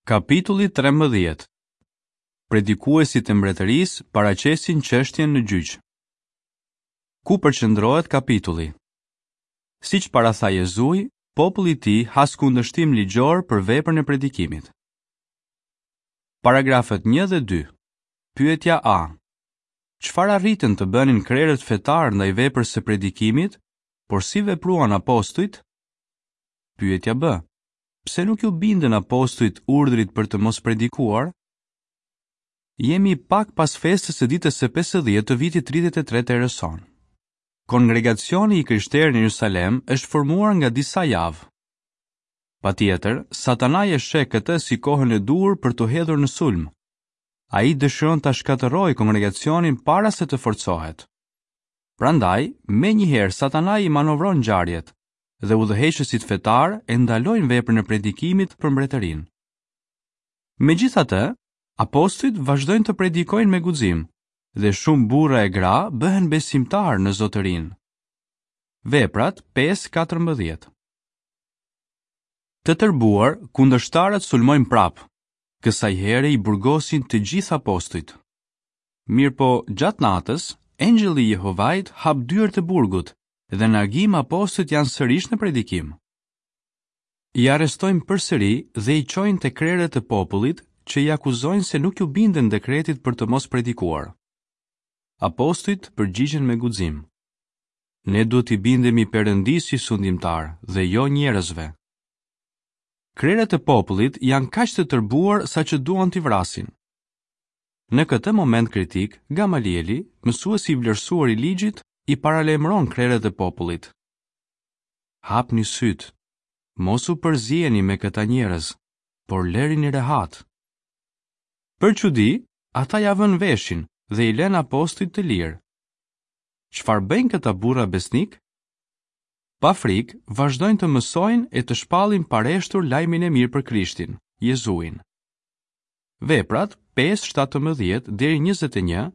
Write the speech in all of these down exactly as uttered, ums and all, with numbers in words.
Kapitulli trembëdhjetë. Predikuesit e mbretërisë paraqesin çështjen në gjyq. Ku përqendrohet kapitulli? Siç paratha Jezui, populli i tij has kundërshtim ligjor për veprën e predikimit. Paragrafët një dhe dy. Pyetja A. Çfarë arritën të bënin krerët fetar ndaj veprës së predikimit, por si vepruan apostujt? Pyetja B. Pse nuk ju bindën apostujt urdhrit për të mos predikuar? Jemi pak pas festës së ditës së pesëdhjetë të vitit tridhjetë e tre të erës sonë. Kongregacioni i krishterë në Jerusalem është formuar nga disa javë. Patjetër, Satanai e sheh këtë si kohën e duhur për të hedhur në sulm. Ai dëshiron ta shkatërrojë kongregacionin para se të forcohet. Prandaj, menjëherë Satanai i manovron ngjarjet dhe udhëheqësit fetar e ndalojnë veprën e predikimit për mbretërinë. Megjithatë, apostujt vazhdojnë të predikojnë me guxim dhe shumë burra e gra bëhen besimtar në Zotërinë. Veprat pesë katërmbëdhjetë. Të tërbuar, kundërshtarët sulmojnë prapë. Kësaj here i burgosin të gjithë apostujt. Mirëpo, gjatë natës, engjëlli i Jehovait hap dyert e burgut dhe në agim apostujt janë sërish në predikim. I arrestojnë përsëri dhe i çojnë te krerët e popullit që i akuzojnë se nuk ju binden dekretit për të mos predikuar. Apostujt përgjigjen me guxim. Ne duhet t'i bindemi Perëndisë si sundimtar dhe jo njerëzve. Krerët e popullit janë kaq të tërbuar sa që duan t'i vrasin. Në këtë moment kritik, Gamalieli, mësuesi i vlerësuar i ligjit, i paralajmëron krerët e popullit. Hapni syt, mos u përzieni me këta njerëz, por lërini rehat. Për çudi, ata ja vënë veshin dhe i lënë apostujt të lirë. Çfarë bëjnë këta burra besnik? Pa frikë, vazhdojnë të mësojnë e të shpallin pareshtur lajmin e mirë për Krishtin, Jezuin. Veprat pesë shtatëmbëdhjetë deri njëzet e një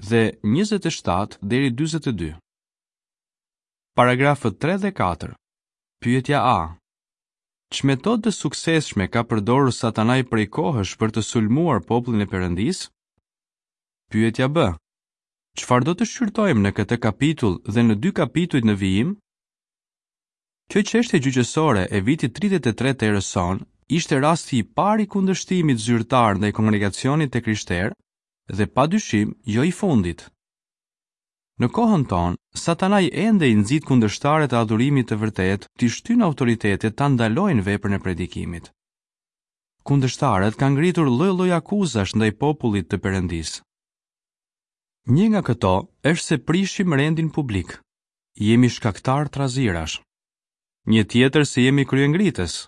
dhe njëzet e shtatë deri dyzet e dy. Paragrafët tre dhe katër. Pyetja A. Ç'metodë të suksesshme ka përdorur Satanai prej kohësh për të sulmuar popullin e Perëndisë? Pyetja B. Çfarë do të shqyrtojmë në këtë kapitull dhe në dy kapitujt në vijim? Kjo çështje gjyqësore e vitit tridhjetë e tre të erës sonë ishte rasti i parë i kundërshtimit zyrtar ndaj kongregacionit të krishterë dhe padyshim jo i fundit. Në kohën tonë, Satanai ende i nxit kundërshtarët e adhurimit të vërtetë t'i shtyjnë autoritetet ta ndalojnë veprën e predikimit. Kundërshtarët kanë ngritur lloj-lloj akuzash ndaj popullit të Perëndisë. Një nga këto është se prishim rendin publik. Jemi shkaktar trazirash. Një tjetër se jemi kryengritës,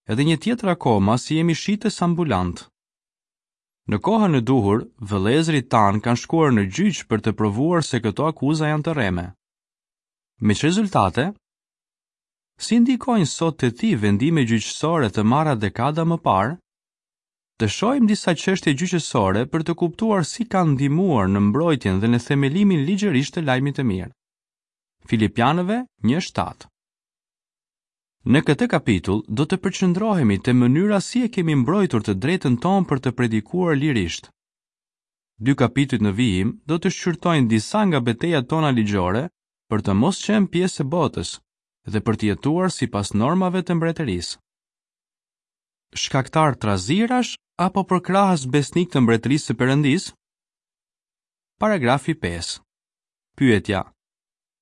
edhe një tjetër akoma se jemi shitës ambulant. Në kohën e duhur, vëllezërit tanë kanë shkuar në gjyq për të provuar se këto akuza janë të rreme. Me ç'rezultate? Si ndikojnë sot te ti vendime gjyqësore të marra dekada më parë? Të shohim disa çështje gjyqësore për të kuptuar si kanë ndihmuar në mbrojtjen dhe në themelimin ligjërisht të lajmit të mirë. Filipianëve një shtatë. Në këtë kapitull do të përqendrohemi te mënyra si e kemi mbrojtur të drejtën tonë për të predikuar lirisht. Dy kapitujt në vijim do të shqyrtojnë disa nga betejat tona ligjore për të mos qenë pjesë e botës dhe për të jetuar sipas normave të mbretërisë. Shkaktar trazirash apo përkrahës besnik të mbretërisë së Perëndisë? Paragrafi pesë. Pyetja: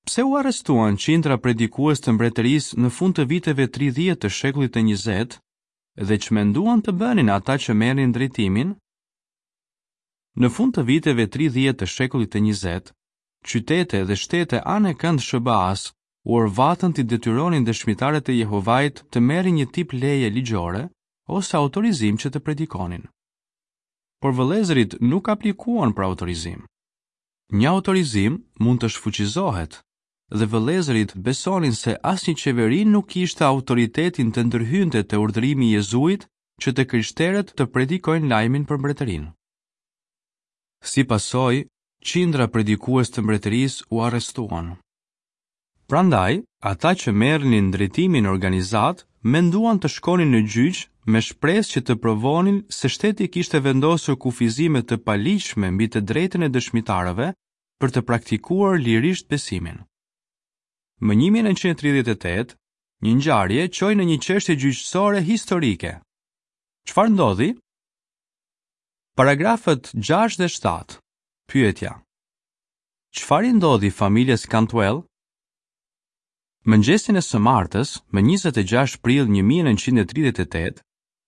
Pse u arrestuan qindra predikues të mbretërisë në fund të viteve tridhjetë të shekullit të njëzet dhe ç'menduan të bënin ata që merrnin drejtimin? Në fund të viteve tridhjetë të shekullit të njëzet, qytete dhe shtete anë e kënd S B A-s u orvatën t'i detyronin dëshmitarët e Jehovait të merrin një tip leje ligjore ose autorizim që të predikonin. Por vëllezërit nuk aplikuan për autorizim. Një autorizim mund të shfuqizohet dhe vëllezërit besonin se asnjë qeveri nuk kishte autoritetin të ndërhynte te urdhërimi i Jezuit që të krishterët të predikojnë lajmin për mbretërinë. Si pasojë, qindra predikues të mbretërisë u arrestuan. Prandaj, ata që merrnin drejtimin organizat menduan të shkonin në gjyq me shpresë që të provonin se shteti kishte vendosur kufizime të paligjshme mbi të drejtën e dëshmitarëve për të praktikuar lirisht besimin. Më një mijë e nëntëqind e tridhjetë e tetë, një ngjarje çoi në një çështje gjyqësore historike. Çfarë ndodhi? Paragrafët gjashtë dhe shtatë. Pyetja: Çfarë i ndodhi familjes Cantwell? Mëngjesin e së martës, më njëzet e gjashtë prill një mijë e nëntëqind e tridhjetë e tetë,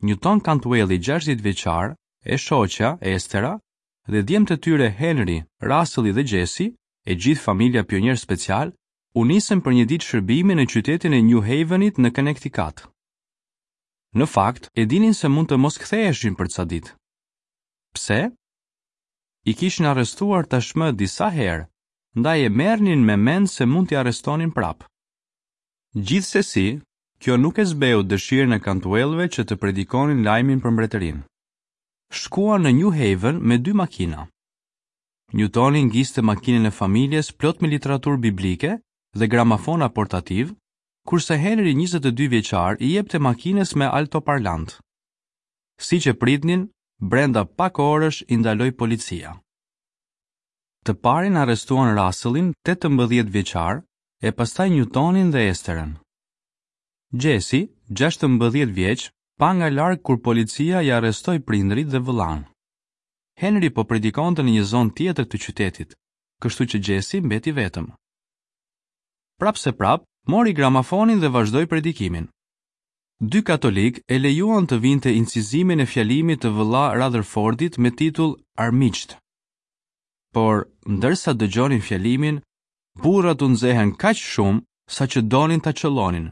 Newton Cantwelli gjashtëdhjetë vjeçar, e shoqja Estera dhe djemtë e tyre Henry, Russelli dhe Jesse, e gjithë familja pionier special, u nisën për një ditë shërbimi në qytetin e New Havenit në Connecticut. Në fakt, e dinin se mund të mos ktheheshin për ca ditë. Pse? I kishin arrestuar tashmë disa herë, ndaj e merrnin me mend se mund t'i arrestonin prapë. Gjithsesi, kjo nuk e zbeu dëshirën e Cantwellëve që të predikonin lajmin për mbretërinë. Shkuan në New Haven me dy makina. Newtoni ngiste makinën e familjes plot me literaturë biblike dhe gramafona portativ, kurse Henry njëzet e dy vjeçar i jepte makinës me altoparlant. Siç e pritnin, brenda pak orësh i ndaloi policia. Të parin arrestuan Russellin tetëmbëdhjetë vjeçar e pastaj Newtonin dhe Esterën. Jesse, gjashtëmbëdhjetë vjeç, pa nga larg kur policia i arrestoi prindrit dhe vëllan. Henry po predikonte në një zonë tjetër të qytetit, kështu që Jesse mbeti vetëm. Prapë se prap, mori gramafonin dhe vazhdoi predikimin. Dy katolik e lejuan të vinte incizimin e fjalimit të vëlla Rutherfordit me titull Armiqt. Por, ndërsa dëgjonin fjalimin, burrat u nxehen kaq shumë sa që donin ta qellonin.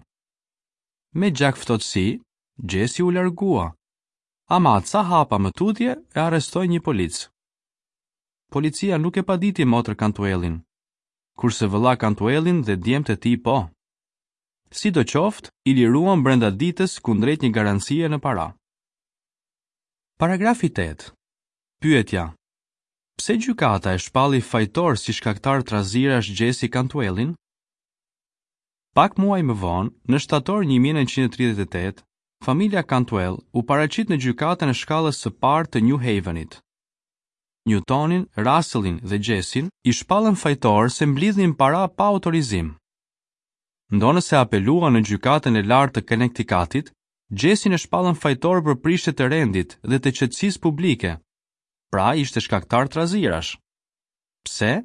Me gjakftohtësi, Jesse u largua. Ama ca hapa më tutje e arrestoi një polic. Policia nuk e paditi motër Cantwellin, kurse vëlla Cantwellin dhe djemtë e tij po. Sidoqoftë, i liruan brenda ditës kundrejt një garancie në para. Paragrafi tetë. Pyetja: Pse gjykata e shpalli fajtor si shkaktar trazirash Jesse Cantwellin? Pak muaj më vonë, në shtator një mijë e nëntëqind e tridhjetë e tetë, familja Cantwell u paraqit në gjykatën e shkallës së parë të New Havenit. Newtonin, Russellin dhe Jessin i shpallën fajtor se mblidhnin para pa autorizim. Ndonëse apeluan në gjykatën e lartë të Connecticutit, Jessin e shpallën fajtor për prishje të rendit dhe të qetësisë publike. Pra ishte shkaktar trazirash. Pse?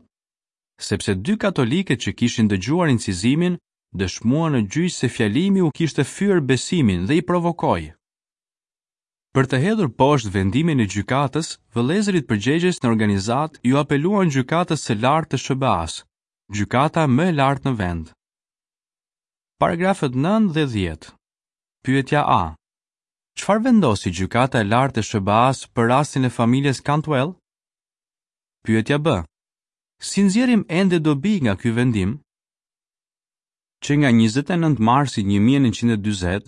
Sepse dy katolikët që kishin dëgjuar incizimin dëshmuan në gjyq se fjalimi u kishte fyer besimin dhe i provokoi. Për të hedhur poshtë vendimin e gjykatës, vëllezërit përgjegjës në organizatë ju apeluan gjykatës së lartë të S B A-s, gjykata më e lartë në vend. Paragrafët nëntë dhe dhjetë. Pyetja A. Çfarë vendosi gjykata e lartë e S B A-s për rastin e familjes Cantwell? Pyetja B. Si nxjerrim ende dobi nga ky vendim? Që nga njëzet e nëntë marsi një mijë e nëntëqind e dyzet,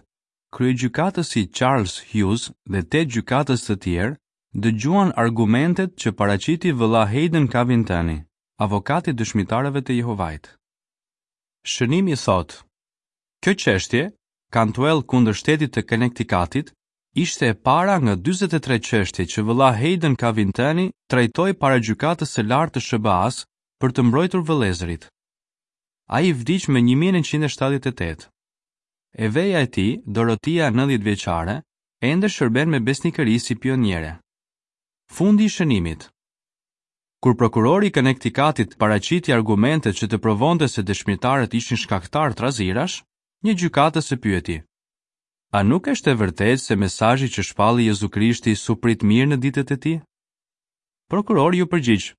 kryegjykatësi Charles Hughes dhe tetë gjykatës të tjerë dëgjuan argumentet që paraqiti vëlla Hayden Covingtoni, avokati i dëshmitarëve të Jehovait. Shënimi thotë: Kjo çështje, Cantwell kundër shtetit të Connecticutit, ishte e para nga dyzet e tre çështje që vëlla Hayden Covingtoni trajtoi para gjykatës së lartë të S B A-s për të mbrojtur vëllezërit. Ai vdiq më një mijë e nëntëqind e shtatëdhjetë e tetë. E veja e tij, Dorotia nëntëdhjetë vjeçare, ende shërben me besnikëri si pioniere. Fundi i shënimit. Kur prokurori i Connecticutit paraqiti argumentet që të provonte se dëshmitarët ishin shkaktar trazirash, një gjykatës e pyeti: A nuk është e vërtetë se mesazhi që shpalli Jezu Krishti su prit mirë në ditët e tij? Prokurori ju përgjigj: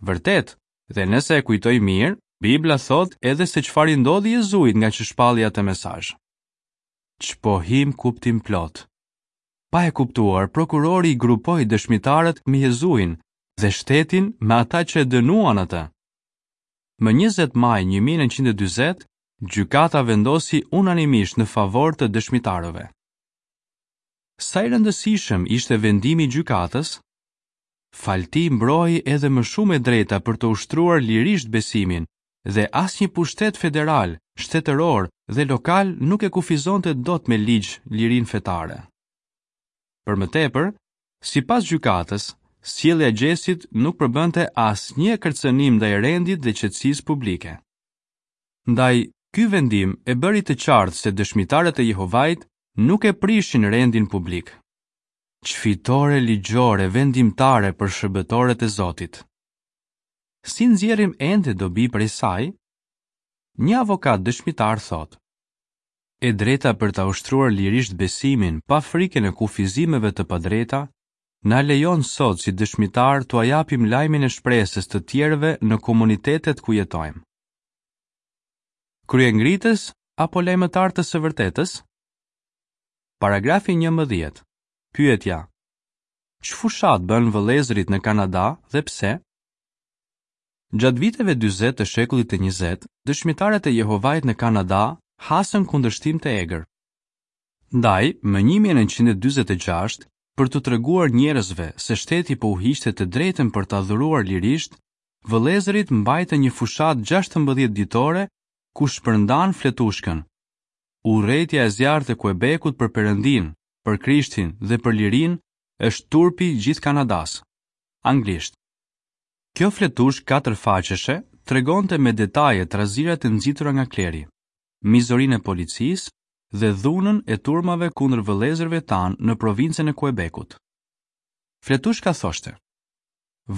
Vërtet, dhe nëse e kujtoj mirë, Bibla thot edhe se çfarë i ndodhi Jezuit nga që shpalli atë mesazh. Ç'pohim kuptim plot. Pa e kuptuar, prokurori i grupoi dëshmitarët me Jezuin dhe shtetin me ata që e dënuan atë. Më njëzet maj një mijë e nëntëqind e dyzet, gjykata vendosi unanimisht në favor të dëshmitarëve. Sa i rëndësishëm ishte vendimi i gjykatës? Falti mbroi edhe më shumë e drejta për të ushtruar lirisht besimin dhe asnjë pushtet federal, shtetëror dhe lokal nuk e kufizonte dot me ligj lirinë fetare. Për më tepër, sipas gjykatës, sjellja e Gjesit nuk përbënte asnjë kërcënim ndaj rendit dhe qetësisë publike. Ndaj, ky vendim e bëri të qartë se dëshmitarët e Jehovait nuk e prishin rendin publik. Ç'fitore ligjore vendimtare për shërbëtorët e Zotit. Si nxjerrim ende dobi prej saj? Një avokat dëshmitar thotë: E drejta për ta ushtruar lirisht besimin pa frikën e kufizimeve të padrejta, na lejon sot si dëshmitar t'ua japim lajmin e shpresës të tjerëve në komunitetet ku jetojmë. Kryengritës apo lajmëtar të së vërtetës? Paragrafi njëmbëdhjetë. Pyetja: Ç'fushatë bënë vëllezërit në Kanada dhe pse? Gjatë viteve dyzet të shekullit të njëzet, dëshmitarët e Jehovait në Kanada hasën kundërshtim të egër. Ndaj, më një mijë e nëntëqind e dyzet e gjashtë, për t'u treguar njerëzve se shteti po u hiqte të drejtën për të adhuruar lirisht, vëllezërit mbajtën një fushatë gjashtëmbëdhjetë ditore ku shpërndan fletushkën. Urrejtja e zjarrtë e Quebecut për Perëndin, për Krishtin dhe për lirinë është turpi i gjithë Kanadas. Anglisht. Kjo fletushkë katër faqeshe tregonte me detaje trazirat e nxitura nga kleri, mizorinë e policisë dhe dhunën e turmave kundër vëllezërve tanë në provincën e Quebecut. Fletushka thoshte: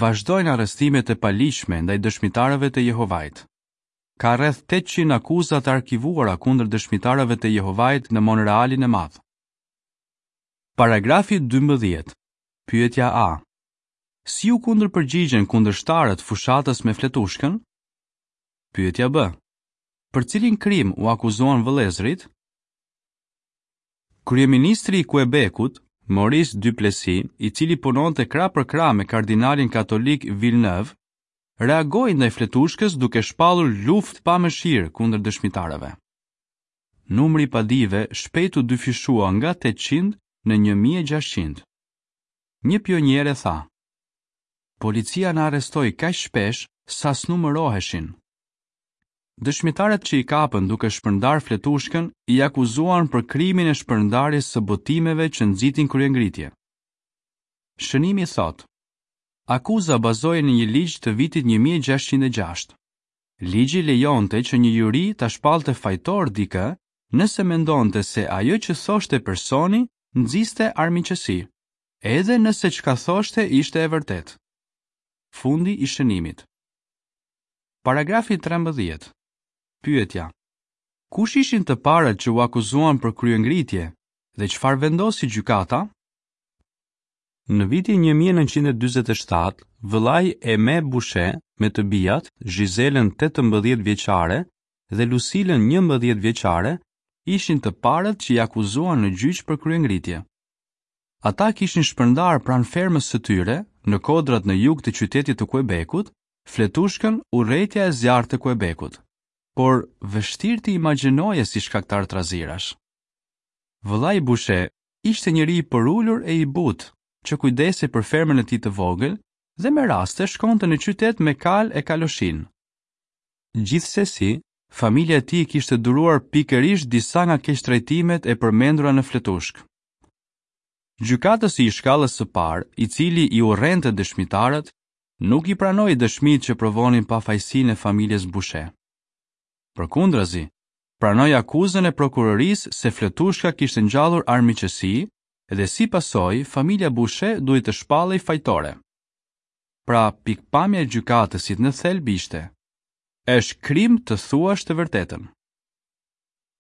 Vazhdojnë arrestimet e paligjshme ndaj dëshmitarëve të Jehovait. Ka rreth tetëqind akuza të arkivuara kundër dëshmitarëve të Jehovait në Montrealin e Madh. Paragrafi dymbëdhjetë. Pyetja A. Si u kundërpërgjigjen kundërshtarët fushatës me fletushkën? Pyetja B. Për cilin krim u akuzuan vëllezërit? Kryeministri i Quebecut, Maurice Duplessis, i cili punonte krah për krah me kardinalin katolik Villeneuve, reagoi ndaj fletushkës duke shpallur luftë pa mëshirë kundër dëshmitarëve. Numri i padive shpejt u dyfishua nga tetëqind në një mijë e gjashtëqind. Një pioniere tha: Policia na arrestoi kaq shpesh sa s'numëroheshin. Dëshmitarët që i kapën duke shpërndar fletushkën i akuzuan për krimin e shpërndarjes së botimeve që nxitin kryengritje. Shënimi thotë: Akuza bazohej në një ligj të vitit një mijë e gjashtëqind e gjashtë. Ligji lejonte që një juri ta shpallte fajtor dikë nëse mendonte se ajo që thoshte personi nxiste armiqësi, edhe nëse çka thoshte ishte e vërtetë. Fundi i shënimit. Paragrafi trembëdhjetë. Pyetja: Kush ishin të parët që u akuzuan për kryengritje dhe çfarë vendosi gjykata? Në vitin një mijë e nëntëqind e dyzet e shtatë, vëllai Aimé Boucher me të bijat, Giselën tetëmbëdhjetë vjeçare dhe Lucilën njëmbëdhjetë vjeçare, ishin të parët që i akuzuan në gjyq për kryengritje. Ata kishin shpërndar pranë fermës së tyre, në kodrat në jug të qytetit të Quebecut, fletushkën Urrejtja e zjarrtë e Quebecut, por vështirë të imagjinoje si shkaktar trazirash. Vëllai Boucher ishte njeri i përulur e i butë, që kujdesej për fermën e tij të vogël dhe me raste shkonte në qytet me kal e kaloshin. Gjithsesi, familja e tij kishte duruar pikërisht disa nga keqtrajtimet e përmendura në fletushk. Gjykatësi i shkallës së parë, i cili i urrente dëshmitarët, nuk i pranoi dëshmitë që provonin pafajësinë e familjes Boucher. Përkundrazi, pranoi akuzën e prokurorisë se fletushka kishte ngjallur armiqësi dhe si pasojë familja Boucher duhej të shpallej fajtore. Pra, pikpamja e gjykatësit në thelb ishte: është krim të thuash të vërtetën.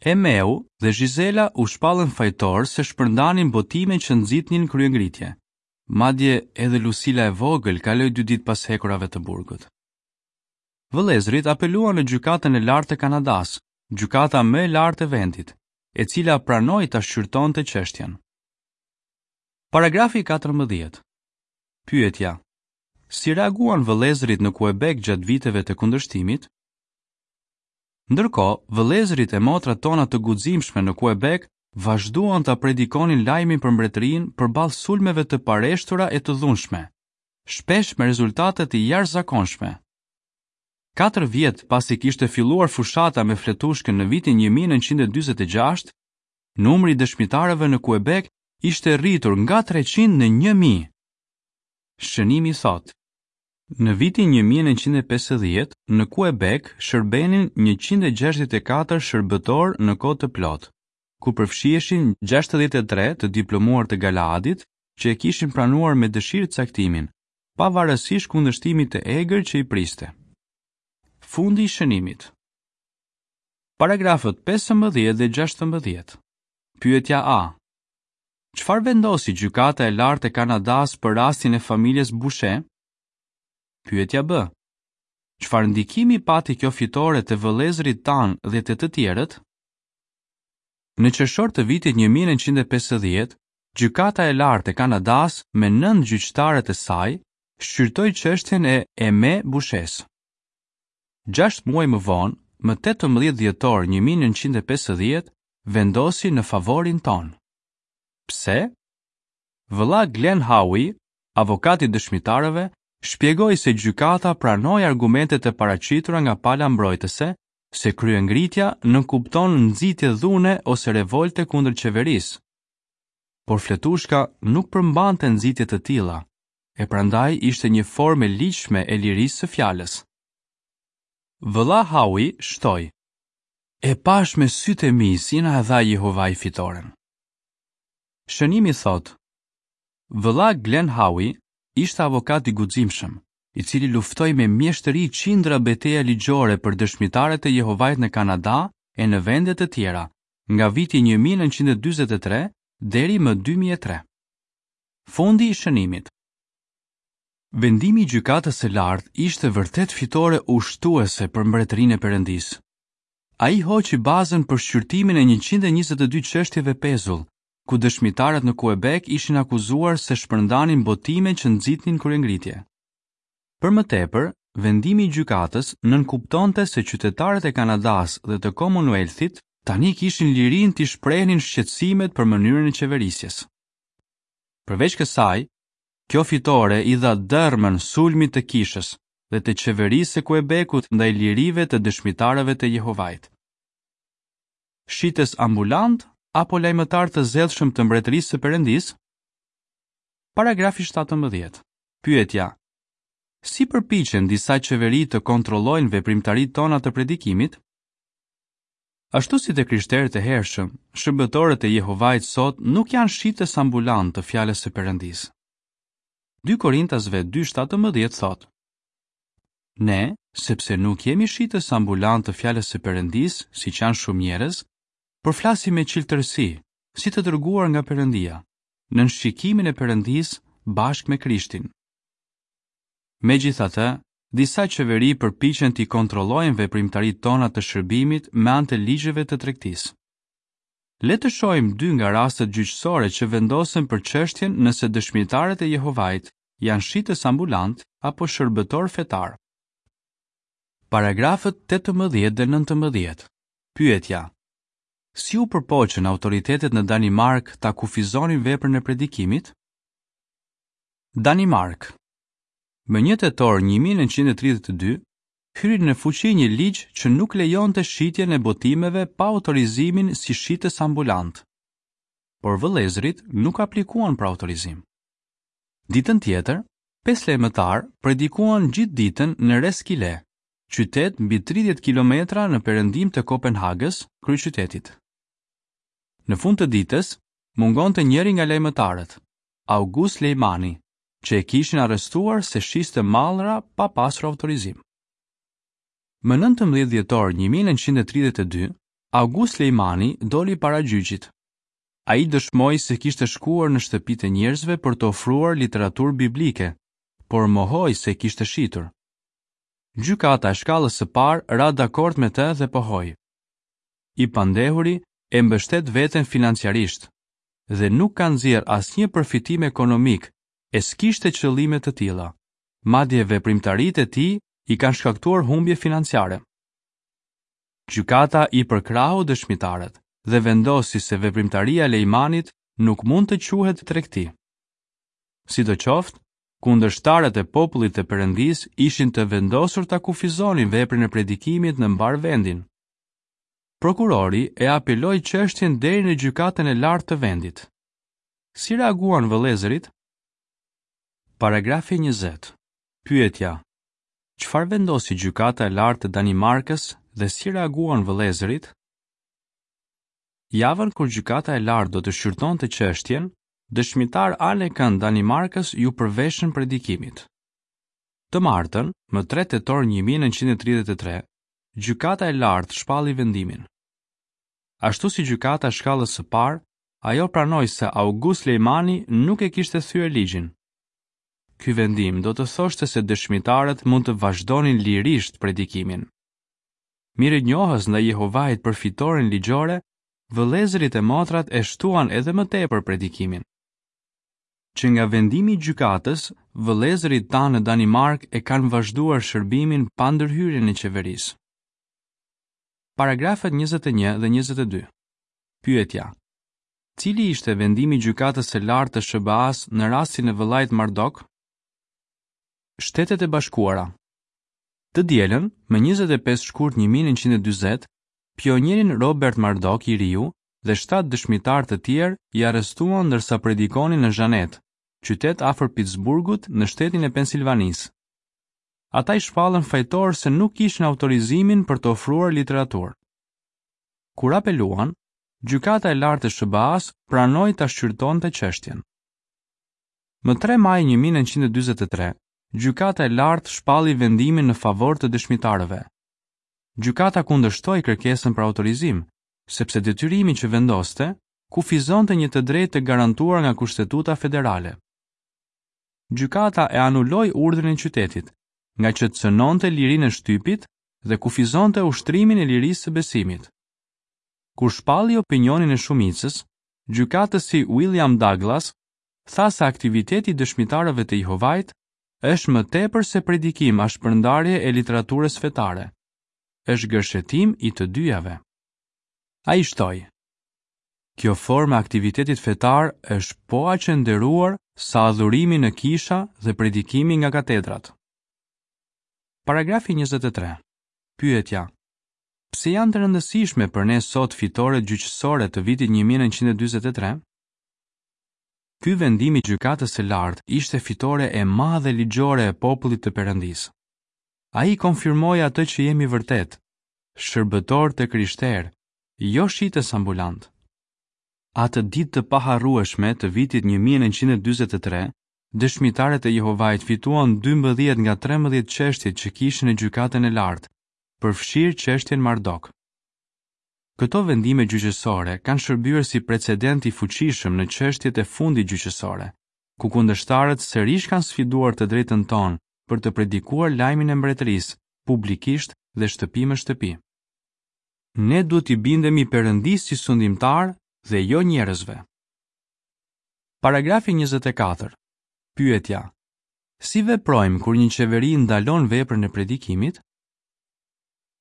Emeu dhe Gisela u shpallën fajtor se shpërndanin botime që nxitnin kryengritje. Madje edhe Lucila e vogël kaloi dy ditë pas hekurave të burgut. Vëllezërit apeluan në gjykatën e lartë të Kanadas, gjykata më e lartë e vendit, e cila pranoi ta shqyrtonte çështjen. Paragrafi katërmbëdhjetë. Pyetja: Si reaguan vëllezërit në Quebec gjatë viteve të kundërshtimit? Ndërkohë, vëllezërit e motrat tona të guximshme në Quebec vazhduan ta predikonin lajmin për mbretërinë përballë sulmeve të pareshtura e të dhunshme, shpesh me rezultate të jashtëzakonshme. Katër vjet pasi kishte filluar fushata me fletushkën në vitin një mijë e nëntëqind e dyzet e gjashtë, numri i dëshmitarëve në Quebec ishte rritur nga treqind në një mijë. Shënimi thotë: Në vitin një mijë e nëntëqind e pesëdhjetë, në Quebec shërbenin njëqind e gjashtëdhjetë e katër shërbëtor në kohë të plotë, ku përfshiheshin gjashtëdhjetë e tre të diplomuar të Galaadit që e kishin pranuar me dëshirë caktimin, pavarësisht kundërshtimit të egër që i priste. Fundi i shënimit. Paragrafët pesëmbëdhjetë dhe gjashtëmbëdhjetë. Pyetja A. Çfarë vendosi Gjykata e Lartë e Kanadas për rastin e familjes Boucher? Pyetja B. Çfarë ndikimi pati kjo fitore te vëllezërit tanë dhe te të tjerët? Në qershor të vitit një mijë e nëntëqind e pesëdhjetë, Gjykata e Lartë e Kanadas me nëntë gjyqtarët e saj shqyrtoi çështjen e Aimé Bouchers. Gjashtë muaj më vonë, më tetëmbëdhjetë dhjetor një mijë e nëntëqind e pesëdhjetë, vendosi në favorin tonë. Pse? Vëlla Glenn Howe, avokati i dëshmitarëve, shpjegoi se gjykata pranoi argumentet e paraqitura nga pala mbrojtëse se kryengritja nënkupton nxitje dhune ose revolte kundër qeverisë. Por fletushka nuk përmbante nxitje të tilla, e prandaj ishte një formë e ligjshme e lirisë së fjalës. Vëlla Howe shtoi: E pash me sytë e mi si na e dha Jehovai fitoren. Shënimi thotë: Vëlla Glenn Howe ishte avokat i guximshëm, i cili luftoi me mjeshtëri qindra beteja ligjore për dëshmitarët e Jehovait në Kanada e në vende të tjera, nga viti një mijë e nëntëqind e dyzet e tre deri më dy mijë e tre. Fundi i shënimit. Vendimi i gjykatës së lartë ishte vërtet fitore ushtuese për mbretërinë e Perëndisë. Ai hoqi bazën për shqyrtimin e njëqind e njëzet e dy çështjeve pezull, ku dëshmitarët në Quebec ishin akuzuar se shpërndanin botime që nxitnin kryengritje. Për më tepër, vendimi i gjykatës nënkuptonte se qytetarët e Kanadas dhe të Commonwealthit tani kishin lirinë të shprehnin shqetësimet për mënyrën e qeverisjes. Përveç kësaj, kjo fitore i dha dërmën sulmit të kishës dhe të qeverisë së Quebecut ndaj lirive të dëshmitarëve të Jehovait. Shitës ambulant apo lajmëtar të zellshëm të mbretërisë së Perëndisë? Paragrafi shtatëmbëdhjetë. Pyetja: Si përpiqen disa qeveri të kontrollojnë veprimtaritë tona të predikimit? Ashtu si të krishterët e hershëm, shërbëtorët e Jehovait sot nuk janë shitës ambulant të fjalës së Perëndisë. Dy Korintasve dy shtatëmbëdhjetë thotë: Ne, sepse nuk jemi shitës ambulant të fjalës së Perëndisë, siç janë shumë njerëz, por flasim me çiltërsi, si të dërguar nga Perëndia, nën shikimin e Perëndisë bashkë me Krishtin. Megjithatë, disa qeveri përpiqen t'i kontrollojnë veprimtaritë tona të shërbimit me anë të ligjeve të tregtisë. Le të shohim dy nga rastet gjyqësore që vendosen për çështjen nëse dëshmitarët e Jehovait janë shitës ambulant apo shërbëtor fetar. Paragrafët tetëmbëdhjetë dhe nëntëmbëdhjetë. Pyetja: Si u përpoqën autoritetet në Danimark ta kufizonin veprën e predikimit? Danimark. Më një tetor një mijë e nëntëqind e tridhjetë e dy, hyri në fuqi një ligj që nuk lejonte shitjen e botimeve pa autorizimin si shitës ambulant. Por vëllezërit nuk aplikuan për autorizim. Ditën tjetër, pesë lajmëtar predikuan gjithë ditën në Roskilde, qytet mbi tridhjetë kilometra në perëndim të Kopenhagës, kryeqytetit. Në fund të ditës, mungonte njëri nga lajmëtarët, August Lejmani, që e kishin arrestuar se shiste mallra pa pasur autorizim. Më nëntëmbëdhjetë dhjetor një mijë e nëntëqind e tridhjetë e dy, August Lejmani doli para gjyqit. Ai dëshmoi se kishte shkuar në shtëpitë e njerëzve për të ofruar literaturë biblike, por mohoi se kishte shitur. Gjykata e shkallës së parë ra dakord me të dhe pohoi: I pandehuri e mbështet veten financiarisht dhe nuk ka nxjerr asnjë përfitim ekonomik e s'kishte qëllime të tilla. Madje veprimtaritë e tij i kanë shkaktuar humbje financiare. Gjykata i përkrahu dëshmitarët dhe vendosi se veprimtaria e Lejmanit nuk mund të quhet tregti. Sidoqoftë, Kundërshtarët e popullit të Perëndisë ishin të vendosur ta kufizonin veprën e predikimit në mbarë vendin. Prokurori e apeloi çështjen deri në gjykatën e lartë të vendit. Si reaguan vëllezërit? Paragrafi njëzet. Pyetja: Çfarë vendosi gjykata e lartë të Danimarkës dhe si reaguan vëllezërit? Javën kur gjykata e lartë do të shqyrtonte çështjen, dëshmitarë anekënd Danimarkës iu përveshën predikimit. Të martën, më tre tetor një mijë e nëntëqind e tridhjetë e tre, gjykata e lartë shpalli vendimin. Ashtu si gjykata e shkallës së parë, ajo pranoi se August Lejmani nuk e kishte thyer ligjin. Ky vendim do të thoshte se dëshmitarët mund të vazhdonin lirisht predikimin. Mirënjohës ndaj Jehovait për fitoren ligjore, vëllezërit e motrat e shtuan edhe më tepër predikimin. Që nga vendimi i gjykatës, vëllezërit tanë në Danimark e kanë vazhduar shërbimin pa ndërhyrjen e qeverisë. Paragrafët njëzet e një dhe njëzet e dy. Pyetja: Cili ishte vendimi i gjykatës së lartë të S B A-s në rastin e vëllait Mardok? Shtetet e Bashkuara. Të dielën, më njëzet e pesë shkurt një mijë e nëntëqind e dyzet, pionierin Robert Mardok i riu dhe shtatë dëshmitarë të tjerë i arrestuan ndërsa predikonin në Zhanet, qytet afër Pittsburghut në shtetin e Pensilvanisë. Ata i shpallën fajtor se nuk kishin autorizimin për të ofruar literaturë. Kur apeluan, gjykata e lartë e S B A-s pranoi ta shqyrtonte çështjen. Më tre maj një mijë e nëntëqind e dyzet e tre, gjykata e lartë shpalli vendimin në favor të dëshmitarëve. Gjykata kundërshtoi kërkesën për autorizim, sepse detyrimi që vendoste kufizonte një të drejtë të garantuar nga Kushtetuta Federale. Gjykata e anuloi urdhrin e qytetit, nga që cënonte lirinë e shtypit dhe kufizonte ushtrimin e lirisë së besimit. Kur shpalli opinionin e shumicës, gjykatësi William Douglas tha se aktiviteti i dëshmitarëve të Jehovait është më tepër se predikim a shpërndarje e literaturës fetare. Është gërshetim i të dyjave. Ai shtoi: Kjo formë e aktivitetit fetar është po aq e nderuar sa adhurimi në kisha dhe predikimi nga katedrat. Paragrafi njëzet e tre. Pyetja: Pse janë të rëndësishme për ne sot fitoret gjyqësore të vitit një mijë e nëntëqind e dyzet e tre? Ky vendim i gjykatës së lartë ishte fitore e madhe ligjore e popullit të Perëndisë. Ai konfirmoi atë që jemi vërtet, shërbëtor të krishterë, jo shitës ambulant. Atë ditë të paharrueshme të vitit një mijë e nëntëqind e dyzet e tre, dëshmitarët e Jehovait fituan dymbëdhjetë nga trembëdhjetë çështjet që kishin në gjykatën e lartë, përfshirë çështjen Mardok. Këto vendime gjyqësore kanë shërbyer si precedent i fuqishëm në çështjet e fundit gjyqësore, ku kundërshtarët sërish kanë sfiduar të drejtën tonë për të predikuar lajmin e mbretërisë publikisht dhe shtëpi më shtëpi. Ne duhet t'i bindemi Perëndisë si sundimtar dhe jo njerëzve. Paragrafi njëzet e katër. Pyetja: Si veprojmë kur një qeveri ndalon veprën e predikimit?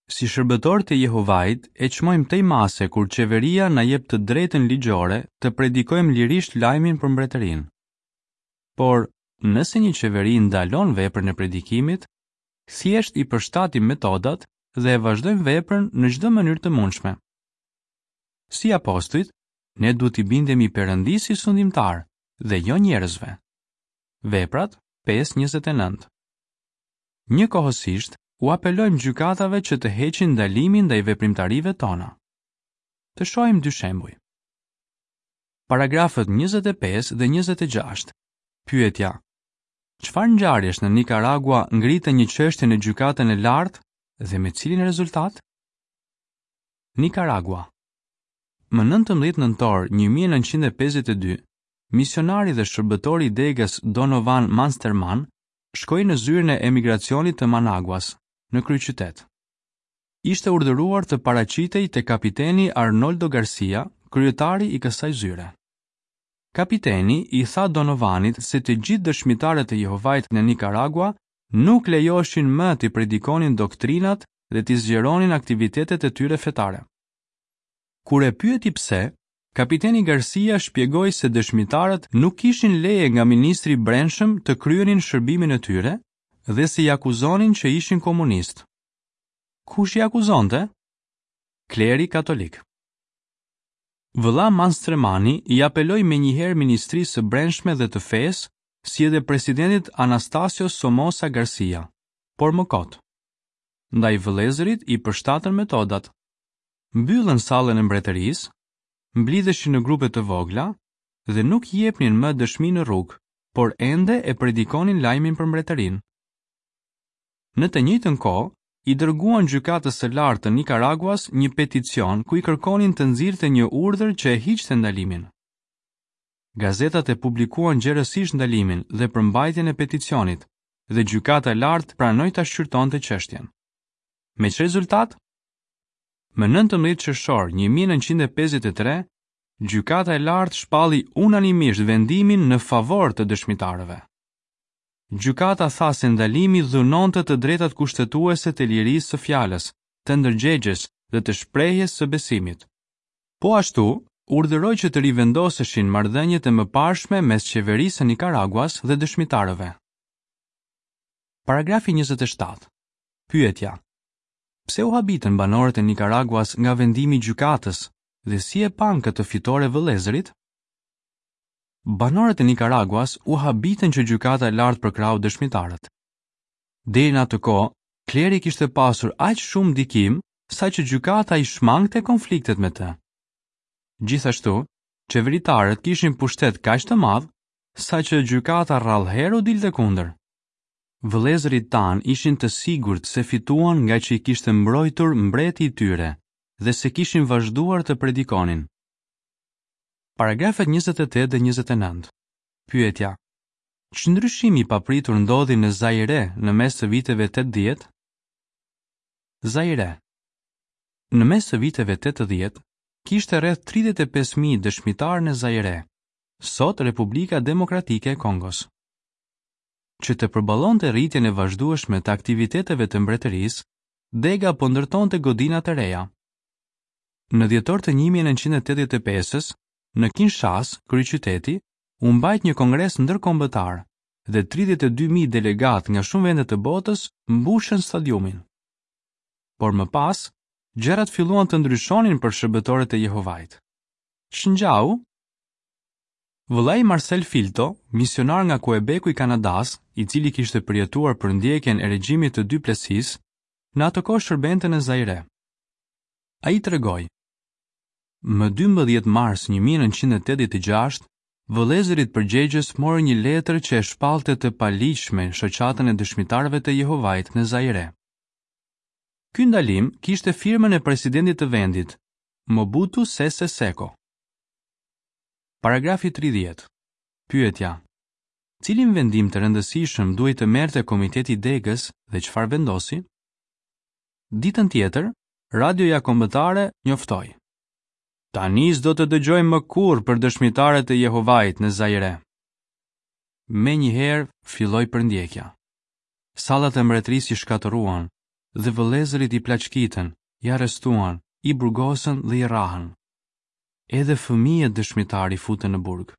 Si shërbëtor të Jehovait, e çmojmë tej mase kur qeveria na jep të drejtën ligjore të predikojmë lirisht lajmin për mbretërinë. Por, nëse një qeveri ndalon veprën e predikimit, thjesht i përshtatim metodat dhe e vazhdojmë veprën në çdo mënyrë të mundshme. Si apostujt, ne duhet t'i bindemi Perëndisë si sundimtar dhe jo njerëzve. Veprat pesë njëzet e nëntë. Njëkohësisht, u apelojmë gjykatave që të heqin ndalimin ndaj veprimtarive tona. Të shohim dy shembuj. Paragrafët njëzet e pesë dhe njëzet e gjashtë. Pyetja: Çfarë ngjarjesh në Nicaragua ngritën një çështje në gjykatën e lartë dhe me cilin rezultat? Nicaragua. Më nëntëmbëdhjetë nëntor një mijë e nëntëqind e pesëdhjetë e dy, misionari dhe shërbëtori i degës Donovan Mansterman shkoi në zyrën e emigracionit të Managuas, në kryeqytet. Ishte urdhëruar të paraqitej te kapiteni Arnoldo Garcia, kryetari i kësaj zyre. Kapiteni i tha Donovanit se të gjithë dëshmitarët e Jehovait në Nicaragua nuk lejoheshin më t'i predikonin doktrinat dhe t'i zgjeronin aktivitetet e tyre fetare. Kur e pyeti pse, kapiteni Garcia shpjegoi se dëshmitarët nuk kishin leje nga ministri i Brendshëm të kryenin shërbimin e tyre dhe se i akuzonin që ishin komunistë. Kush i akuzonte? Kleri katolik. Vëlla Manstremani i apeloi menjëherë Ministrisë së Brendshme dhe të Fesë, si edhe presidentit Anastasio Somoza Garcia, por më kot. Ndaj vëllezërit i përshtatën metodat. Mbyllën sallën e mbretërisë, mblidheshin në grupe të vogla dhe nuk jepnin më dëshmi në rrugë, por ende e predikonin lajmin për mbretërinë. Në të njëjtën kohë, i dërguan gjykatës së lartë të Nikaraguas një peticion ku i kërkonin të nxirrte një urdhër që e hiqte ndalimin. Gazetat e publikuan gjerësisht ndalimin dhe përmbajtjen e peticionit, dhe gjykata e lartë pranoi ta shqyrtonte çështjen. Me ç'rezultat? Më nëntëmbëdhjetë qershor një mijë e nëntëqind e pesëdhjetë e tre, gjykata e lartë shpalli unanimisht vendimin në favor të dëshmitarëve. Gjykata tha se ndalimi dhunonte të drejtat kushtetuese të lirisë së fjalës, të ndërgjegjes dhe të shprehjes së besimit. Po ashtu, urdhëroi që të rivendoseshin marrëdhëniet e mëparshme mes qeverisë së Nikaraguas dhe dëshmitarëve. Paragrafi njëzet e shtatë. Pyetja: Pse u habitën banorët e Nikaraguas nga vendimi i gjykatës dhe si e panë këtë fitore vëllezërit? Banorët e Nikaraguas u habitën që gjykata e lartë përkrahu dëshmitarët. Deri në atë kohë, kleri kishte pasur aq shumë ndikim saqë gjykata i shmangte konfliktet me të. Gjithashtu, qeveritarët kishin pushtet kaq të madh saqë gjykata rrallëherë u dilte kundër. Vëllezërit tanë ishin të sigurt se fituan nga që i kishte mbrojtur mbreti i tyre dhe se kishin vazhduar të predikonin. Paragrafet njëzet e tetë dhe njëzet e nëntë. Pyetja: Ç'ndryshimi i papritur ndodhi në Zaire në mes të viteve tetëdhjetë? Zaire. Në mes të viteve tetëdhjetë kishte rreth tridhjetë e pesë mijë dëshmitarë në Zaire, sot Republika Demokratike e Kongos. Që të përballonte rritjen e vazhdueshme të aktiviteteve të mbretërisë, dega po ndërtonte godina të reja. Në dhjetor të një mijë e nëntëqind e tetëdhjetë e pesës, në Kinshasa, kryeqyteti, u mbajt një kongres ndërkombëtar dhe tridhjetë e dy mijë delegat nga shumë vende të botës mbushën stadiumin. Por më pas, gjërat filluan të ndryshonin për shërbëtorët e Jehovait. Ç'ngjau? Vëllai Marcel Filto, misionar nga Quebecu i Kanadas, i cili kishte përjetuar përndjekjen e regjimit të Duplessis, në atë kohë shërbente në Zaire. Ai tregoi: Më dymbëdhjetë mars një mijë e nëntëqind e tetëdhjetë e gjashtë, vëllezërit përgjegjës morën një letër që e shpallte të paligjshme shoqatën e dëshmitarëve të Jehovait në Zaire. Ky ndalim kishte firmën e presidentit të vendit, Mobutu Sese Seko. Paragrafi tridhjetë. Pyetja: Cilin vendim të rëndësishëm duhej të merrte komiteti i degës dhe çfarë vendosi? Ditën tjetër, radioja kombëtare njoftoi: Tani s'do të dëgjojmë më kurrë për dëshmitarët e Jehovait në Zaire. Menjëherë filloi përndjekja. Sallat e mbretërisë i shkatërruan dhe vëllezërit i plaçkitën, i arrestuan, i burgosën dhe i rrahën. Edhe fëmijët dëshmitarë i futën në burg.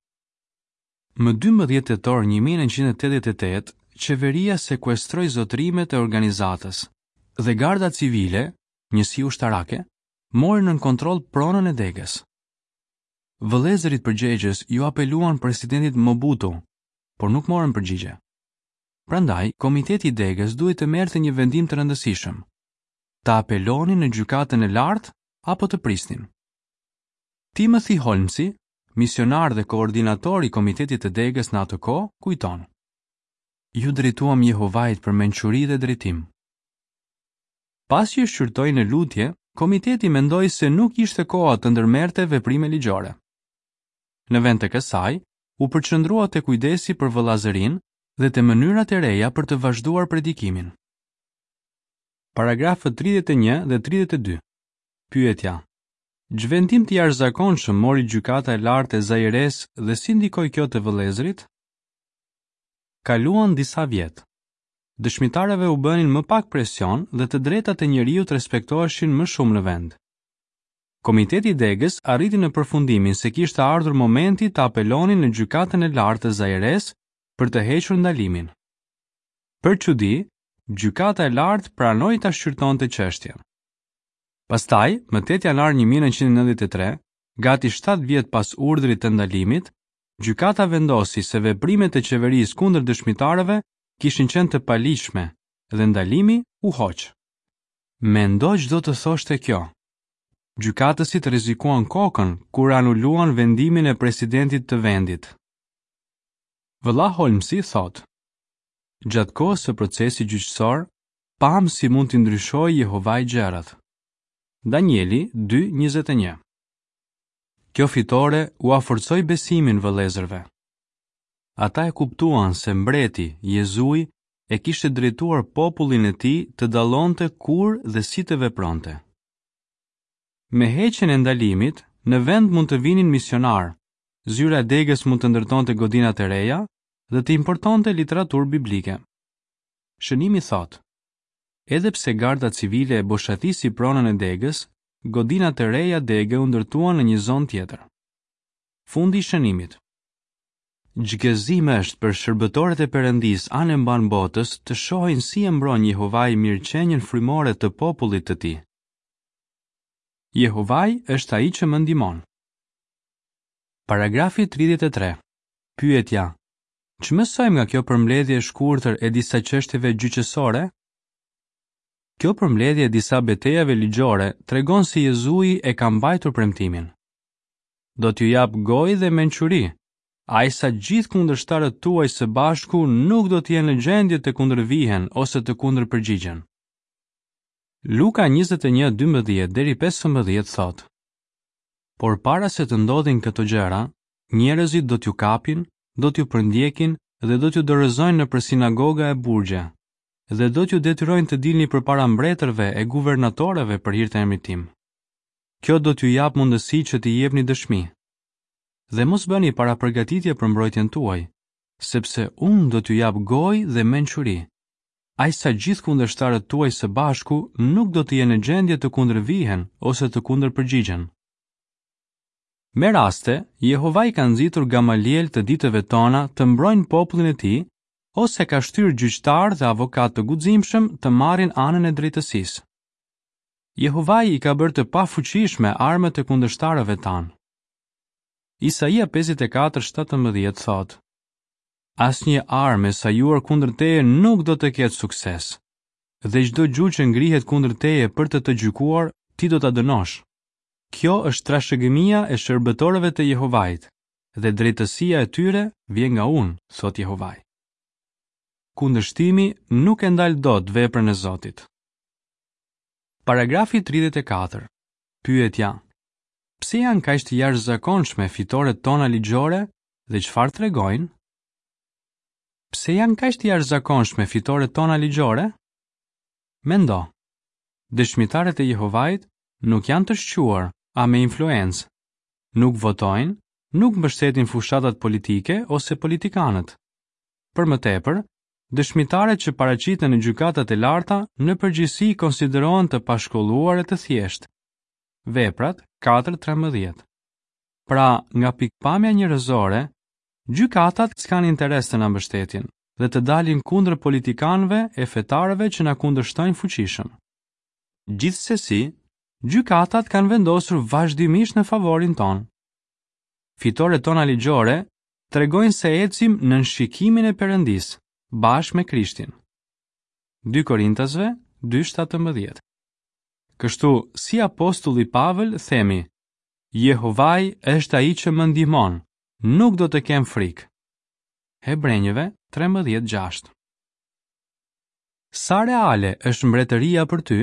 Më dymbëdhjetë tetor një mijë e nëntëqind e tetëdhjetë e tetë, qeveria sekuestroi zotërimet e organizatës dhe garda civile, njësi ushtarake, mori nën kontroll pronën e degës. Vëllezërit përgjegjës ju apeluan presidentit Mobutu, por nuk morën përgjigje. Prandaj, komiteti i degës duhej të merrte një vendim të rëndësishëm: ta apelonin në gjykatën e lartë apo të prisnin. Timothy Holmesi, misionar dhe koordinator i komitetit të degës në atë kohë, kujton: Ju drejtuam Jehovait për mençuri dhe drejtim. Pasi e shqyrtoi në lutje, komiteti mendoi se nuk ishte koha të ndërmerrte veprime ligjore. Në vend të kësaj, u përqendrua te kujdesi për vëllazërinë dhe te mënyrat e reja për të vazhduar predikimin. Paragrafët tridhjetë e një dhe tridhjetë e dy. Pyetja: Ç'vendim të jashtëzakonshëm mori gjykata e lartë e Zaires dhe si ndikoi kjo te vëllezërit? Kaluan disa vjet. Dëshmitarëve u bënin më pak presion dhe të drejtat e njeriut respektoheshin më shumë në vend. Komiteti i Degës arriti në përfundimin se kishte ardhur momenti të apelonin në Gjykatën e Lartë të Zaires për të hequr ndalimin. Për çudi, Gjykata e Lartë pranoi ta shqyrtonte çështjen. Pastaj, më tetë janar një mijë e nëntëqind e nëntëdhjetë e tre, gati shtatë vjet pas urdhrit të ndalimit, gjykata vendosi se veprimet e qeverisë kundër dëshmitarëve kishin qenë të paligjshme dhe ndalimi u hoq. Mendo ç'do të thoshte kjo. Gjykatësit rrezikuan kokën kur anuluan vendimin e presidentit të vendit. Vëlla Holmsi thotë: Gjatë kohës së procesit gjyqësor, pamë si mund t'i ndryshojë Jehovai gjërat. Danieli dy njëzet e një. Kjo fitore ua forcoi besimin vëllezërve. Ata e kuptuan se mbreti, Jezui, e kishte drejtuar popullin e tij të dallonte kur dhe si të vepronte. Me heqjen e ndalimit, në vend mund të vinin misionar, zyra e degës mund të ndërtonte godina të reja dhe të importonte literaturë biblike. Shënimi thotë: Edhe pse garda civile e boshatisi pronën e degës, godina të reja dege u ndërtuan në një zonë tjetër. Fundi i shënimit. Ç'gëzim është për shërbëtorët e Perëndisë anë e mbanë botës të shohin si e mbron Jehovai mirëqenien frymore të popullit të tij. Jehovai është ai që më ndihmon. Paragrafi tridhjetë e tre. Pyetja: Ç'mësojmë nga kjo përmbledhje e shkurtër e disa çështjeve gjyqësore? Kjo përmbledhje e disa betejave ligjore tregon se Jezui e ka mbajtur premtimin. Do t'ju jap gojë dhe mençuri, aq sa gjithë kundërshtarët tuaj së bashku nuk do të jenë në gjendje të kundërvihen ose të kundërpërgjigjen. Luka njëzet e një dymbëdhjetë deri pesëmbëdhjetë thotë: Por para se të ndodhin këto gjëra, njerëzit do t'ju kapin, do t'ju përndjekin dhe do t'ju dorëzojnë nëpër sinagoga e burgje, dhe do t'ju detyrojnë të dilni përpara mbretërve e guvernatorëve për hir të emrit tim. Kjo do t'ju japë mundësi që t'i jepni dëshmi. Dhe mos bëni parapërgatitje për mbrojtjen tuaj, sepse unë do t'ju jap gojë dhe mençuri, aq sa gjithë kundërshtarët tuaj së bashku nuk do të jenë në gjendje të kundërvihen ose të kundërpërgjigjen. Me raste, Jehovai ka nxitur Gamaliel të ditëve tona të mbrojnë popullin e tij ose ka shtyrë gjyqtar dhe avokat të guximshëm të marrin anën e drejtësisë. Jehovai i ka bërë të pafuqishme armët e kundërshtarëve tanë. Isaia pesëdhjetë e katër shtatëmbëdhjetë thotë: Asnjë armë e sajuar kundër teje nuk do të ketë sukses, dhe çdo gjuhë që ngrihet kundër teje për të të gjykuar, ti do ta dënosh. Kjo është trashëgimia e shërbëtorëve të Jehovait, dhe drejtësia e tyre vjen nga unë, thotë Jehovai. Kundërshtimi nuk e ndal dot veprën e Zotit. Paragrafi tridhjetë e katër. Pyetja: Pse janë kaq të jashtëzakonshme fitoret tona ligjore dhe çfarë tregojnë? Pse janë kaq të jashtëzakonshme fitoret tona ligjore? Mendo. Dëshmitarët e Jehovait nuk janë të shquar a me influencë. Nuk votojnë, nuk mbështetin fushatat politike ose politikanët. Për më tepër, dëshmitarët që paraqiten në gjykatat e larta në përgjithësi konsiderohen të pashkolluar e të thjeshtë. Veprat katër trembëdhjetë. Pra, nga pikpamja njerëzore, gjykatat s'kan interes të na mbështetin dhe të dalin kundër politikanëve e fetarëve që na kundërshtojnë fuqishëm. Gjithsesi, gjykatat kanë vendosur vazhdimisht në favorin ton. Fitoret tona ligjore tregojnë se ecim nën shikimin e Perëndisë, bashkë me Krishtin. Dy Korintasve dy shtatëmbëdhjetë. Kështu, si apostulli Pavel themi, Jehovai është ai që më ndihmon, nuk do të kem frikë. Hebrenjëve trembëdhjetë gjashtë. Sa reale është mbretëria për ty?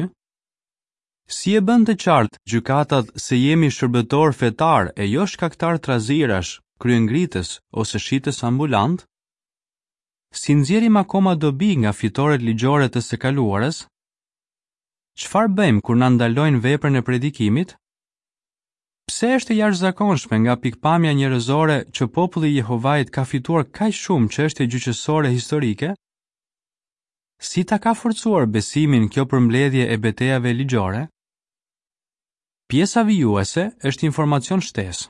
Si e bën të qartë gjykatat se jemi shërbëtor fetar e jo shkaktar trazirash, kryengritës ose shitës ambulant? Si nxjerrim akoma dobi nga fitoret ligjore të së kaluarës? Çfarë bëjmë kur na ndalojnë veprën e predikimit? Pse është e jashtëzakonshme nga pikpamja njerëzore që populli i Jehovait ka fituar kaq shumë çështje gjyqësore historike? Si ta ka forcuar besimin kjo përmbledhje e betejave ligjore? Pjesa vijuese është informacion shtesë.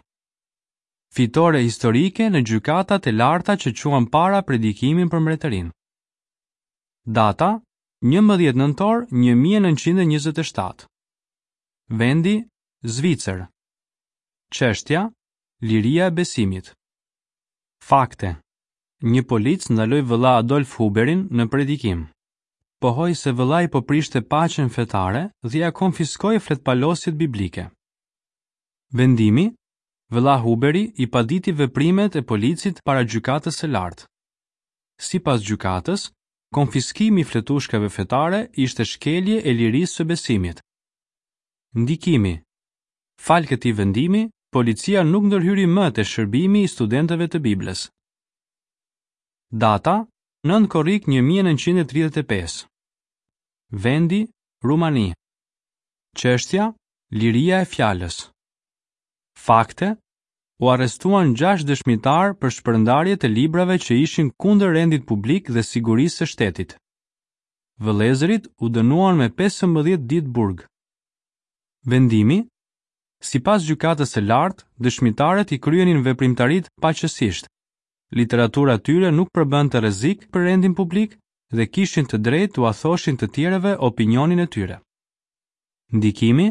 Fitore historike në gjykatat e larta që çuan para predikimin për mbretërinë. Data njëmbëdhjetë nëntor një mijë e nëntëqind e njëzet e shtatë. Vendi Zvicër. Çështja Liria e besimit. Fakte. Një polic ndaloi vëlla Adolf Huberin në predikim. Pohoi se vëllai po prishte paqen fetare dhe ia konfiskoi fletpalosjet biblike. Vendimi, vëlla Huberi i paditi veprimet e policit para gjykatës së lartë. Sipas gjykatës, konfiskimi i fletushkave fetare ishte shkelje e lirisë së besimit. Ndikimi. Fal këtij vendimi, policia nuk ndërhyri më te shërbimi i studentëve të Biblës. Data nëntë korrik një mijë e nëntëqind e tridhjetë e pesë. Vendi Rumani. Çështja Liria e fjalës. Fakte. U arrestuan gjashtë dëshmitar për shpërndarje të librave që ishin kundër rendit publik dhe sigurisë së shtetit. Vëllezërit u dënuan me pesëmbëdhjetë ditë burg. Vendimi, sipas gjykatës së lartë, dëshmitarët i kryenin veprimtaritë paqësisht. Literatura e tyre nuk përbënte rrezik për rendin publik dhe kishin të drejtë t'ua thoshin të tjerëve opinionin e tyre. Ndikimi,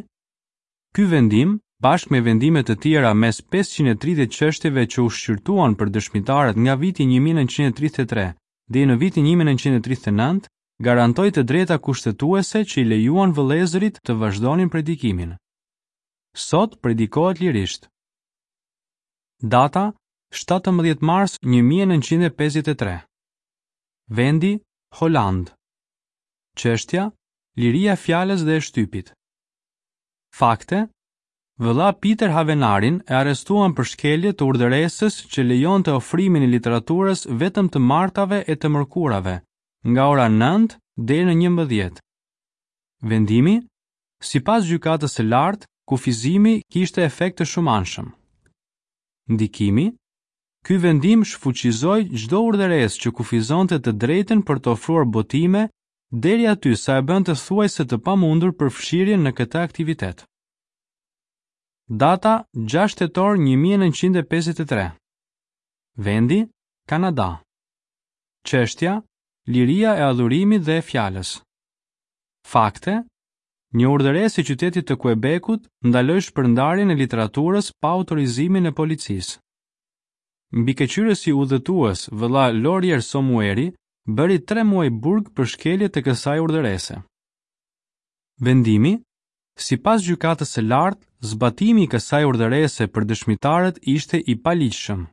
ky vendim, bashkë me vendime të tjera mes pesëqind e tridhjetë çështjeve që u shqyrtuan për dëshmitarët nga viti një mijë e nëntëqind e tridhjetë e tre deri në vitin një mijë e nëntëqind e tridhjetë e nëntë, garantoi të drejta kushtetuese që i lejuan vëllezërit të vazhdonin predikimin. Sot predikohet lirisht. Data shtatëmbëdhjetë mars një mijë e nëntëqind e pesëdhjetë e tre. Vendi Holand. Çështja Liria e fjalës dhe e shtypit. Fakte. Vëlla Peter Havenarin e arrestuan për shkelje të urdhëresës që lejonte ofrimin e literaturës vetëm të martave e të mërkurave, nga ora nëntë deri në njëmbëdhjetë. Vendimi, sipas gjykatës së lartë, kufizimi kishte efekt të shumanshëm. Ndikimi, ky vendim shfuqizoi çdo urdhëresë që kufizonte të drejtën për të ofruar botime deri aty sa e bënte thuajse të pamundur përfshirjen në këtë aktivitet. Data gjashtë tetor një mijë e nëntëqind e pesëdhjetë e tre. Vendi Kanada. Çështja Liria e adhurimit dhe e fjalës. Fakte. Një urdhëresë e qytetit të Quebecut ndaloi shpërndarjen e literaturës pa autorizimin e policisë. Mbikëqyrësi udhëtues, vëlla Laurier Somueri, bëri tre muaj burg për shkelje të kësaj urdhërese. Vendimi, sipas gjykatës së lartë, zbatimi i kësaj urdhërese për dëshmitarët ishte i paligjshëm.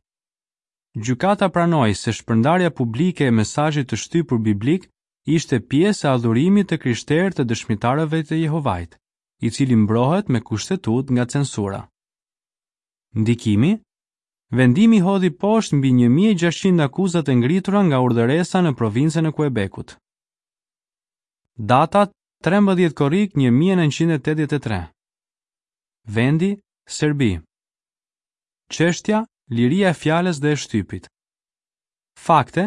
Gjykata pranoi se shpërndarja publike e mesazhit të shtypur biblik ishte pjesë e adhurimit të krishterë të dëshmitarëve të Jehovait, i cili mbrohet me kushtetut nga censura. Ndikimi, vendimi hodhi poshtë mbi një mijë e gjashtëqind akuzat e ngritura nga urdhëresa në provincën e Quebecut. Data trembëdhjetë korrik një mijë e nëntëqind e tetëdhjetë e tre. Vendi Serbi. Çështja Liria e fjalës dhe e shtypit. Fakte,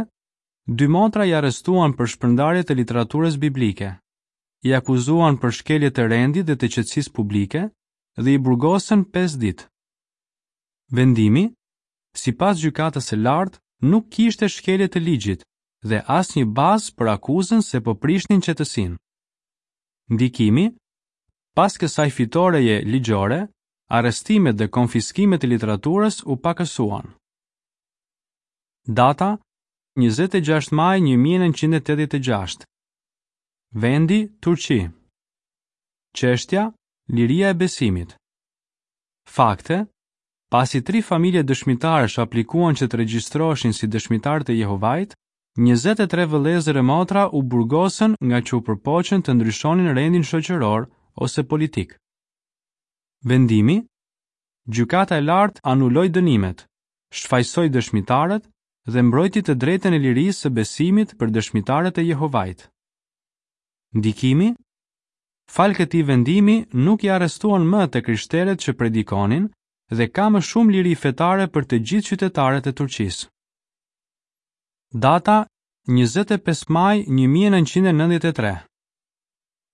dy motra i arrestuan për shpërndarje të literaturës biblike, i akuzuan për shkelje të rendit dhe të qetësisë publike dhe i burgosën pesë ditë. Vendimi, sipas gjykatës së lartë, nuk kishte shkelje të ligjit dhe asnjë bazë për akuzën se po prishnin qetësinë. Ndikimi, pas kësaj fitoreje ligjore, arrestimet dhe konfiskimet e literaturës u pakësuan. Data njëzet e gjashtë maj një mijë e nëntëqind e tetëdhjetë e gjashtë. Vendi Turqi. Çështja Liria e besimit. Fakte, pasi tri familje dëshmitarësh aplikuan që të regjistroheshin si dëshmitarë të Jehovait, njëzet e tre vëllezër e motra u burgosën nga që u përpoqën të ndryshonin rendin shoqëror ose politik. Vendimi, gjykata e lartë anuloi dënimet, shfajsoi dëshmitarët dhe mbrojti të drejtën e lirisë së besimit për dëshmitarët e Jehovait. Ndikimi, fal këtij vendimi nuk i arrestuan më të krishterët që predikonin dhe ka më shumë liri fetare për të gjithë qytetarët e Turqisë. Data njëzet e pesë maj një mijë e nëntëqind e nëntëdhjetë e tre.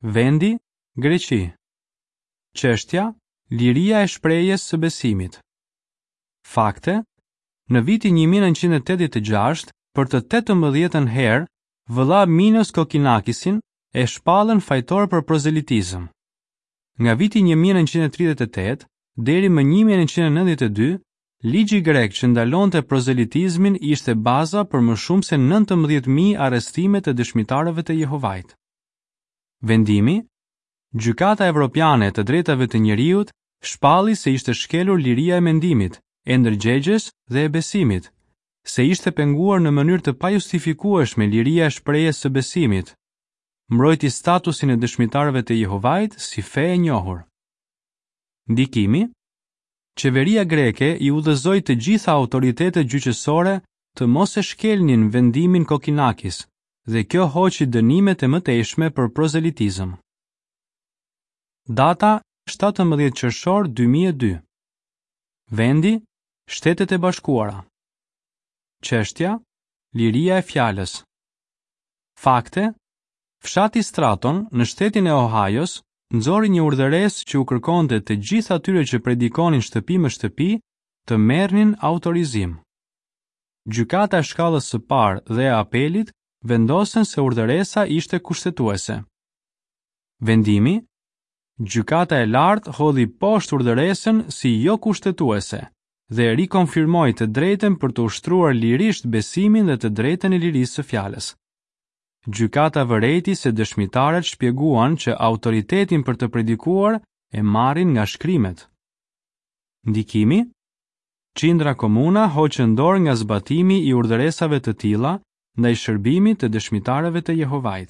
Vendi Greqi. Çështja Liria e shprehjes së besimit. Fakte: Në vitin një mijë e nëntëqind e tetëdhjetë e gjashtë, për të tetëmbëdhjetën herë, vëlla Minos Kokinakisin e shpallën fajtor për prozelitizëm. Nga viti një mijë e nëntëqind e tridhjetë e tetë deri më një mijë e nëntëqind e nëntëdhjetë e dy, ligji grek që ndalonte prozelitizmin ishte baza për më shumë se nëntëmbëdhjetë mijë arrestime të dëshmitarëve të Jehovait. Vendimi: Gjykata Evropiane e të Drejtave të Njeriut shpalli se ishte shkelur liria e mendimit, e ndërgjegjes dhe e besimit, se ishte penguar në mënyrë të pajustifikueshme liria e shprehjes së besimit, mbrojti statusin e dëshmitarëve të Jehovait si fe e njohur. Ndikimi: Qeveria greke i udhëzoi të gjitha autoritetet gjyqësore të mos e shkelnin vendimin Kokinakis dhe kjo hoqi dënimet e mëtejshme për prozelitizëm. Data shtatëmbëdhjetë qershor dy mijë e dy. Vendi: Shtetet e Bashkuara. Çështja: Liria e fjalës. Fakte: Fshati Straton në shtetin e Ohio-s nxori një urdhëresë që u kërkonte të gjithë atyre që predikonin shtëpi më shtëpi të merrnin autorizim. Gjykata e shkallës së parë dhe e apelit vendosën se urdhëresa ishte kushtetuese. Vendimi: Gjykata e lartë hodhi poshtë urdhëresën si jo kushtetuese dhe rikonfirmoi të drejtën për të ushtruar lirisht besimin dhe të drejtën e lirisë së fjalës. Gjykata vërejti se dëshmitarët shpjeguan që autoritetin për të predikuar e marrin nga shkrimet. Ndikimi: Qindra komuna hoqën dorë nga zbatimi i urdhëresave të tilla ndaj shërbimit të dëshmitarëve të Jehovait.